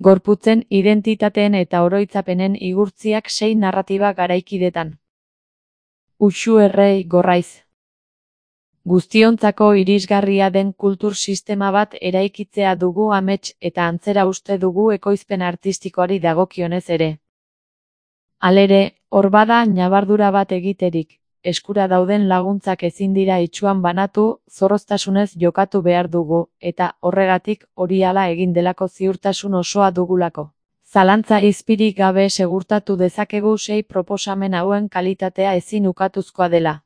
Gorputzen, identitateen eta oroitzapenen igurtziak 6 narratiba garaikidetan. Uxu errei gorraiz. Guztiontzako irisgarria den kultur sistema bat eraikitzea dugu amets eta antzera uste dugu ekoizpen artistikoari dagokionez ere. Halere, hor bada ñabardura bat egiterik, eskura dauden laguntzak ezin dira itsuan banatu, zorroztasunez jokatu behar dugu, eta horregatik hori hala egin delako ziurtasun osoa dugulako. Zalantza izpirik gabe segurtatu dezakegu 6 proposamen hauen kalitatea ezin ukatuzkoa dela.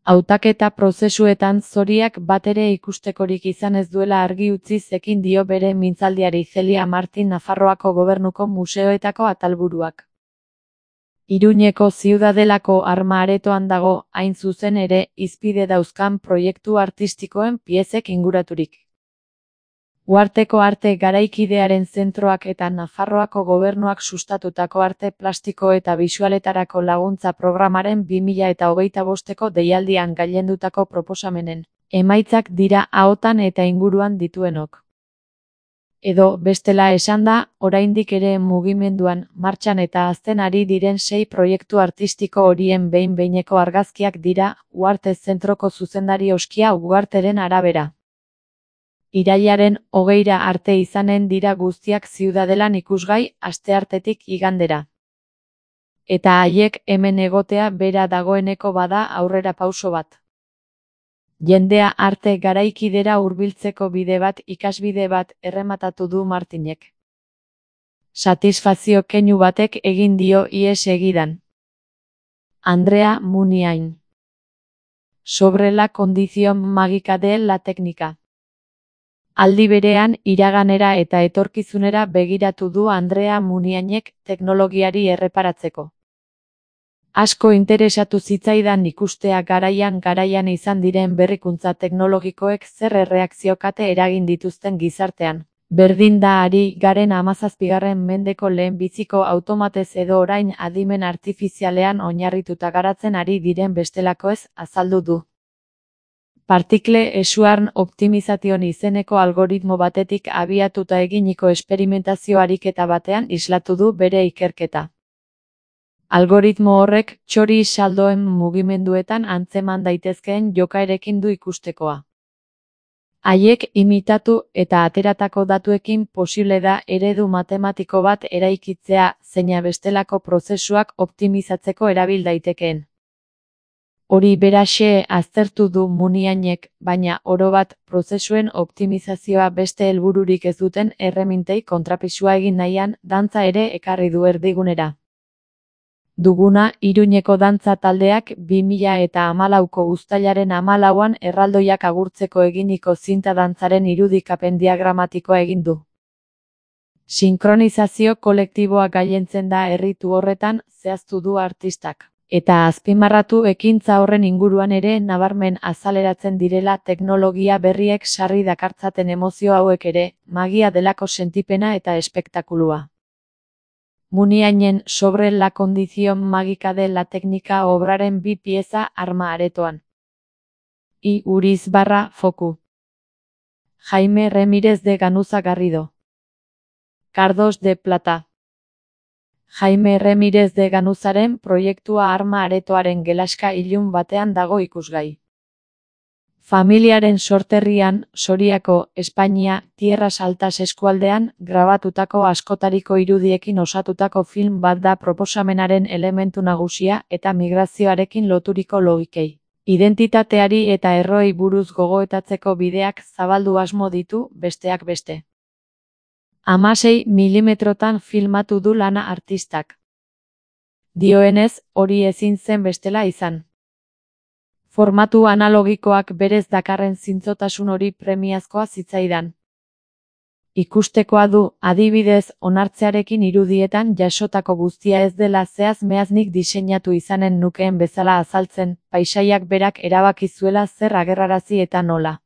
Hautaketa prozesuetan zoriak batere ikustekorik izan ez duela argi utzi ekin dio bere mintzaldiari Celia Martin Nafarroako Gobernuko museoetako atalburuak. Iruñeko Ziudadelako Arma Aretoan dago, hain zuzen ere, hizpide dauzkan proiektu artistikoen piezek inguraturik. Uharteko arte garaikidearen zentroak eta Nafarroako Gobernuak sustatutako arte plastiko eta bisualetarako laguntza programaren 2025ko deialdian gailendutako proposamenen emaitzak dira ahotan eta inguruan dituenok. Edo, bestela esanda, oraindik ere mugimenduan, martxan eta hazten ari diren 6 proiektu artistiko horien behin-behineko argazkiak dira, Uharte Zentroko zuzendari Oskia Uharteren arabera. Irailaren 20ra arte izanen dira guztiak Ziudadelan ikusgai, asteartetik igandera. Eta haiek hemen egotea bera dagoeneko bada aurrera pauso bat. Jendea arte garaikidera hurbiltzeko bide bat, ikasbide bat, errematatu du Martinek. Satisfazio keinu batek egin dio ihes egidan. Andrea Muniain. Sobre la condición mágica de la técnica. Aldi berean, iraganera eta etorkizunera begiratu du Andrea Muniainek teknologiari erreparatzeko. Asko interesatu zitzaidan ikustea garaian izan diren berrikuntza teknologikoek zer erreakziokate eragin dituzten gizartean. Berdin da ari garen 17. mendeko lehenbiziko automatez edo orain adimen artifizialean oinarrituta garatzen ari diren bestelakoez azaldu du. Partikle esuarn optimization izeneko algoritmo batetik abiatuta eginiko esperimentazio ariketa batean islatu du bere ikerketa. Algoritmo horrek txori saldoen mugimenduetan antzeman daitezkeen jokaerekin du ikustekoa. Haiek imitatu eta ateratako datuekin posible da eredu matematiko bat eraikitzea zeina bestelako prozesuak optimizatzeko erabil daitekeen. Hori beraxe aztertu du Muniainek, baina orobat prozesuen optimizazioa beste helbururik ez duten erremintei kontrapisua egin nahian dantza ere ekarri du erdigunera. Duguna, Iruñeko dantza taldeak 2014ko uztailaren 14an erraldoiak agurtzeko eginiko zinta dantzaren irudikapen diagramatikoa egin du. Sinkronizazio kolektiboa gailentzen da erritu horretan, zehaztu du artistak. Eta azpimarratu ekintza horren inguruan ere nabarmen azaleratzen direla teknologia berriek sarri dakartzaten emozio hauek ere, magia delako sentipena eta espektakulua. Muniainen Sobre la condición mágica de la técnica obraren 2 pieza Arma Aretoan. I. Uriz/Foku. Jaime Remírez de Ganuza Garrido. Cardos de Plata. Jaime Remírez de Ganuzaren proiektua Arma Aretoaren gelaska ilun batean dago ikusgai. Familiaren sorterrian, Soriako, Espainia, Tierras Altas eskualdean, grabatutako askotariko irudiekin osatutako film bat da proposamenaren elementu nagusia eta migrazioarekin loturiko logikei. Identitateari eta erroei buruz gogoetatzeko bideak zabaldu asmo ditu, besteak beste. 16 milimetrotan filmatu du lana artistak. Dioenez, hori ezin zen bestela izan. Formatu analogikoak berez dakarren zintzotasun hori premiazkoa zitzaidan. Ikustekoa du, adibidez, onartzearekin irudietan jasotako guztia ez dela zehaz-mehaznik diseinatu izanen nukeen bezala azaltzen, paisaiak berak erabaki zuela zer agerrarazi eta nola.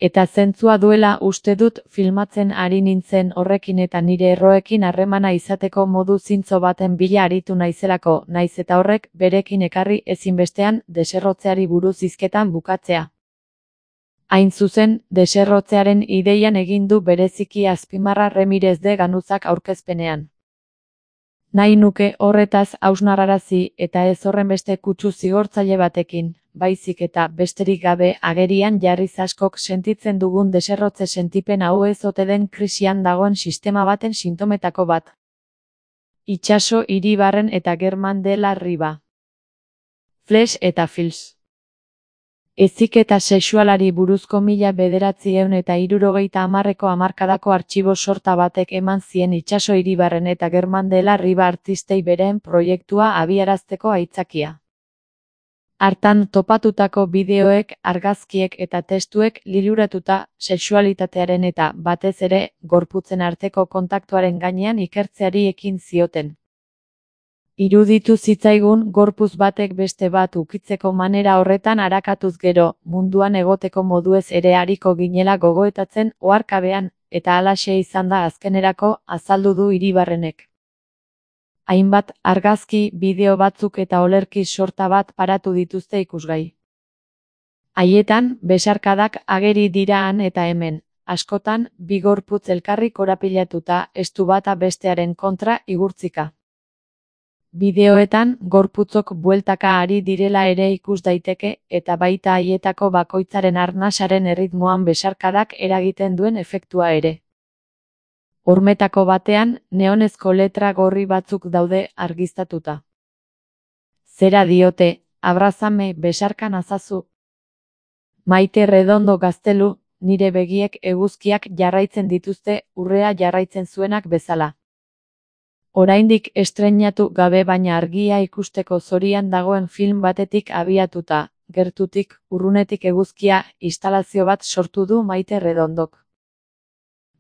Eta zentzua duela uste dut filmatzen ari nintzen horrekin eta nire erroekin harremana izateko modu zintzo baten bila aritu naizelako, naiz eta horrek berekin ekarri ezinbestean deserrotzeari buruz hizketan bukatzea. Hain zuzen, deserrotzearen ideian egin du bereziki azpimarra Ramirez de Ganuzak aurkezpenean. Nahi nuke horretaz hausnarrarazi eta ez horrenbeste kutsu zigortzaile batekin, baizik eta besterik gabe agerian jarriz askok sentitzen dugun deserrotze sentipen hau ez ote den krisian dagoen sistema baten sintometako bat. Itsaso Iribarren eta Germán de la Riva. Flesh eta Fils. Heziketa sexualari buruzko 1970ko hamarkadako artxibo sorta batek eman zien Itsaso Iribarren eta Germán de la Riva artistei beren proiektua abiarazteko aitzakia. Hartan topatutako bideoek, argazkiek eta testuek liluratuta sexualitatearen eta, batez ere, gorputzen arteko kontaktuaren gainean ikertzeari ekin zioten. Iruditu zitzaigun gorputz batek beste bat ukitzeko manera horretan arakatuz gero, munduan egoteko moduez ere ariko ginela gogoetatzen oharkabean, eta halaxe izan da azkenerako, azaldu du Iribarrenek. Hainbat argazki, bideo batzuk eta olerki sorta bat paratu dituzte ikusgai. Haietan, besarkadak ageri dira han eta hemen, askotan, bi gorputz elkarri korapilatuta, estu bata bestearen kontra igurtzika. Bideoetan, gorputzok bueltaka ari direla ere ikus daiteke, eta baita haietako bakoitzaren arnasaren erritmoan besarkadak eragiten duen efektua ere. Hormetako batean, neonezko letra gorri batzuk daude argiztatuta. Zera diote, abrazame besarka nazazu. Maite Redondo Gaztelu, nire begiek eguzkiak jarraitzen dituzte urrea jarraitzen zuenak bezala. Oraindik estreinatu gabe baina argia ikusteko zorian dagoen film batetik abiatuta, gertutik, urrunetik eguzkia, instalazio bat sortu du Maite Redondok.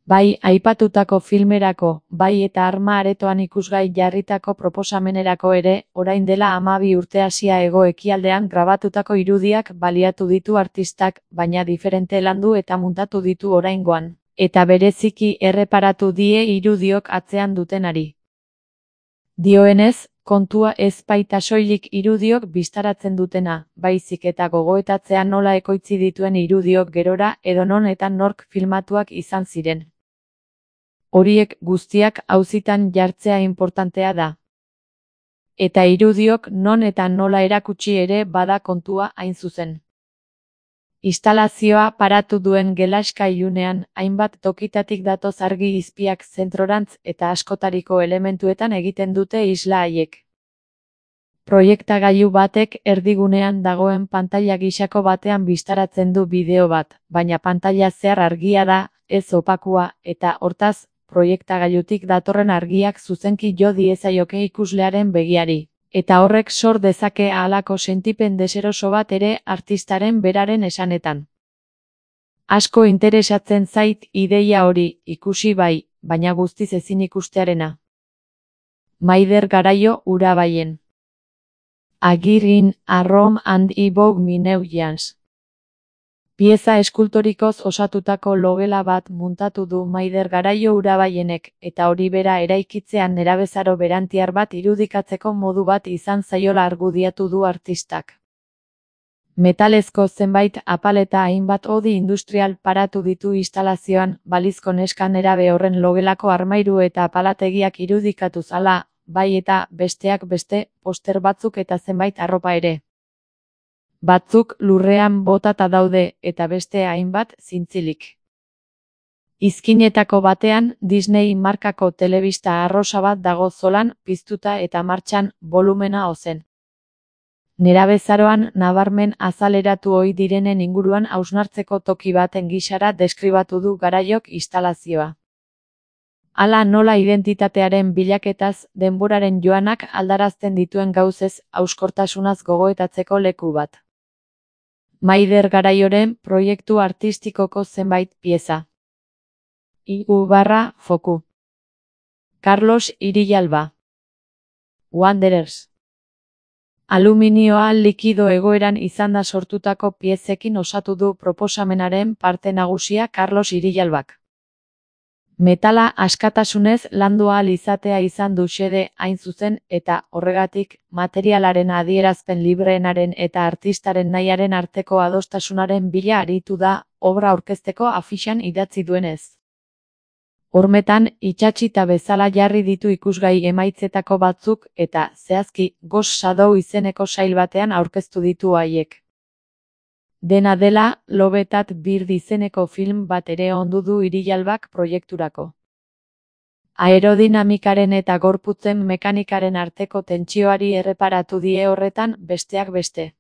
Bai aipatutako filmerako, bai eta arma aretoan ikusgai jarritako proposamenerako ere, orain dela 12 urte Asia hego-ekialdean grabatutako irudiak baliatu ditu artistak, baina diferente landu eta muntatu ditu oraingoan, eta bereziki erreparatu die irudiok atzean dutenari. Dioenez, kontua ez baita soilik irudiok bistaratzen dutena, baizik eta gogoetatzea nola ekoitzi dituen irudiok gerora edonon eta nork filmatuak izan ziren. Horiek guztiak auzitan jartzea inportantea da. Eta irudiok non eta nola erakutsi ere bada kontua hain zuzen. Instalazioa paratu duen gelaskailunean, hainbat tokitatik datoz argi izpiak zentrorantz eta askotariko elementuetan egiten dute isla haiek. Proiektagailu batek erdigunean dagoen pantaila gisako batean bistaratzen du bideo bat, baina pantaila zehar argia da, ez opakua, eta hortaz, proiektagailutik datorren argiak zuzenki jo diezaioke ikuslearen begiari. Eta horrek sor dezake halako sentipen deseroso bat ere artistaren beraren esanetan. Asko interesatzen zait ideia hori, ikusi bai, baina guztiz ezin ikustearena. Maider Garaio Urabaien. Agirin, a Rome and Evoke Me New Jans. Pieza eskultorikoz osatutako logela bat muntatu du Maider Garaio Urabaienek, eta hori bera eraikitzean nerabezaro berantiar bat irudikatzeko modu bat izan zaiola argudiatu du artistak. Metalezko zenbait apaleta hainbat hodi industrial paratu ditu instalazioan, balizko neska nerabe horren logelako armairu eta apalategiak irudikatu zala, bai eta besteak beste, poster batzuk eta zenbait arropa ere. Batzuk lurrean botata daude eta beste hainbat zintzilik. Izkinetako batean Disney markako telebista arrosa bat dago zolan, piztuta eta martxan, volumena ozen. Nerabezaroan nabarmen azaleratu ohi direnen inguruan hausnartzeko toki baten gisara deskribatu du Garaiok instalazioa. Hala nola identitatearen bilaketaz denboraren joanak aldarazten dituen gauzez hauskortasunaz gogoetatzeko leku bat. Maider Garaioren proiektu artistikoko zenbait pieza. _foku. Carlos Irialba. Wanderers. Aluminioa likido egoeran izanda sortutako piezekin osatu du proposamenaren parte nagusia Carlos Irialbak. Metala askatasunez landu ahal izatea izan du xede hain zuzen eta horregatik materialaren adierazpen libreenaren eta artistaren nahiaren arteko adostasunaren bila aritu da obra aurkezteko afixan idatzi duenez. Hormetan, itsatsita bezala jarri ditu ikusgai emaitzetako batzuk eta, zehazki, Ghost Shadow izeneko sail batean aurkeztu ditu haiek. Dena dela, Love That Bird izeneko film bat ere ondu du Irialbak proiekturako. Aerodinamikaren eta gorputzen mekanikaren arteko tentsioari erreparatu die horretan, besteak beste.